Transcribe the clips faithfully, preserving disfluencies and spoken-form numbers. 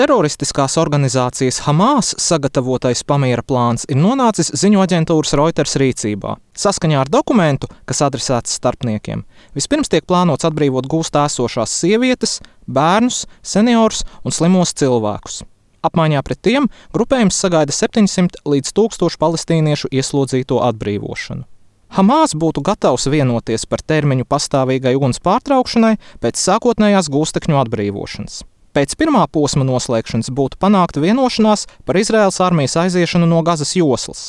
Teroristiskās organizācijas Hamas sagatavotais pamiera plāns ir nonācis ziņu aģentūras Reuters rīcībā. Saskaņā ar dokumentu, kas adresēts starpniekiem, vispirms tiek plānots atbrīvot gūstā esošās sievietes, bērnus, seniorus un slimos cilvēkus. Apmaiņā pret tiem grupējums sagaida septiņsimt līdz tūkstošu palestīniešu ieslodzīto atbrīvošanu. Hamas būtu gatavs vienoties par termiņu pastāvīgai uguns pārtraukšanai pēc sākotnējās gūstekņu atbrīvošanas. Pēc pirmā posma noslēgšanas būtu panākta vienošanās par Izraēlas armijas aiziešanu no Gazas joslas.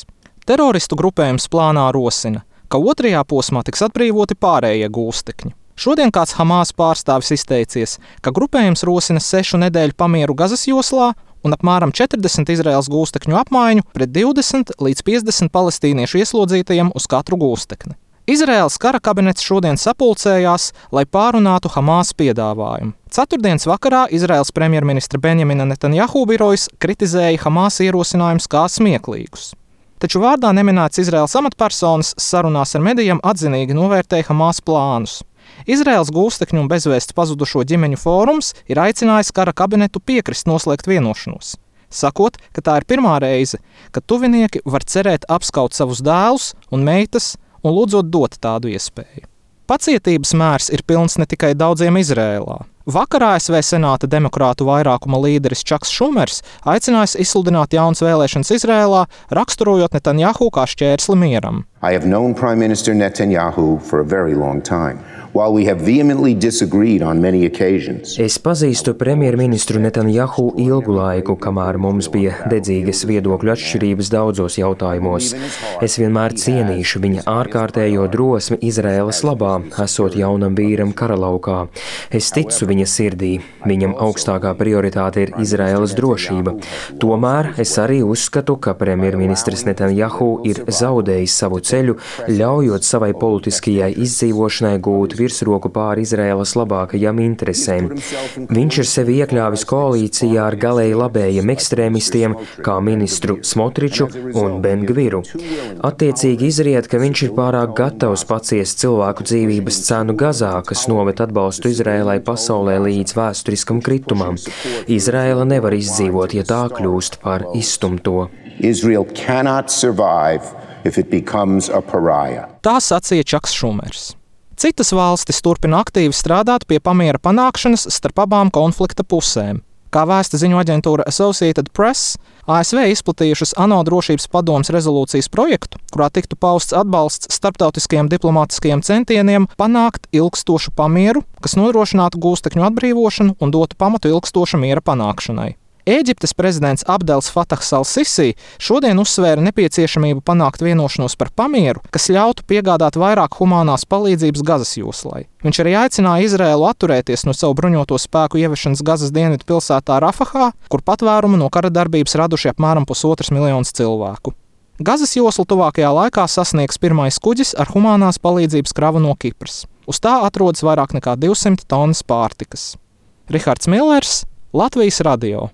Teroristu grupējums plānā rosina, ka otrajā posmā tiks atbrīvoti pārējie gūstekņi. Šodien kāds Hamas pārstāvis izteicies, ka grupējums rosina sešu nedēļu pamieru Gazas joslā un apmēram četrdesmit Izraēlas gūstekņu apmaiņu pret divdesmit līdz piecdesmit palestīniešu ieslodzītajiem uz katru gūstekni. Izraēlas kara kabinets šodien sapulcējās, lai pārunātu Hamas piedāvājumu. Ceturtdienas vakarā Izraēlas premjerministra Benjamina Netanjahu birojas kritizēja Hamas ierosinājumus kā smieklīgus. Taču vārdā neminēts Izraēlas amatpersonas sarunās ar medijiem atzinīgi novērtēja Hamas plānus. Izraēlas gūstekņu un bezvēsts pazudušo ģimeņu fórums ir aicinājis kara kabinetu piekrist noslēgt vienošanos, sakot, ka tā ir pirmā reize, kad tuvinieki var cerēt apskaut savus dēlus un meitas un lūdzot dot tādu iespēju. Pacietības mērs ir pilns ne tikai daudziem Izrēlā. Vakar A S V Senāta demokrātu vairākuma līderis Čaks Šumers aicinājis izsludināt jaunas vēlēšanas Izrēlā, raksturojot Netanjahu kā šķērsli mieram. I have known Prime Minister Netanyahu for a very long time. While we have vehemently disagreed on many occasions. Es pazīstu premjerministru Netanjahu ilgu laiku, kamēr mums bija dedzīgas viedokļu atšķirības daudzos jautājumos. Es vienmēr cienīšu viņa ārkārtējo drosmi Izraēlas labā, esot jaunam vīram karalaukā. Es ticu viņa sirdī. Viņam augstākā prioritāte ir Izraēlas drošība. Tomēr es arī uzskatu, ka premjerministrs Netanjahu ir zaudējis savu ceļu, ļaujot savai politiskajai izdzīvošanai gūt virsroku pāri Izraēlas labākajām interesēm. Viņš ir sevi iekļāvis koalīcijā ar galēji labējiem ekstrēmistiem, kā ministru Smotriču un Ben Gviru. Attiecīgi izriet, ka viņš ir pārāk gatavs paciest cilvēku dzīvības cenu Gazā, kas noved atbalstu Izraēlai pasaulē līdz vēsturiskam kritumam. Izraēla nevar izdzīvot, ja tā kļūst par izstumto. Israel cannot survive if it becomes a pariah. Tā sacīja Čaks Šumers. Citas valstis turpina aktīvi strādāt pie pamiera panākšanas starp abām konflikta pusēm. Kā vēsta ziņu aģentūra Associated Press, A S V izplatījušas ANO drošības padomes rezolūcijas projektu, kurā tiktu pausts atbalsts starptautiskajiem diplomātiskajiem centieniem panākt ilgstošu pamieru, kas nodrošinātu gūstekņu atbrīvošanu un dotu pamatu ilgstoša miera panākšanai. Ēģiptes prezidents Abdels Fatahs al-Sisi šodien uzsvēra nepieciešamību panākt vienošanos par pamieru, kas ļautu piegādāt vairāk humānās palīdzības Gazas joslai. Viņš arī aicināja Izraēlu atturēties no savu bruņoto spēku ieviešanas Gazas dienvidu pilsētā Rafahā, kur patvērumu no kara darbības raduši apmēram pusotras miljonus cilvēku. Gazas joslu tuvākajā laikā sasniegs pirmais kuģis ar humānās palīdzības kravu no Kipras. Uz tā atrodas vairāk nekā divsimt tonnas pārtikas. Rihards Millers, Latvijas radio.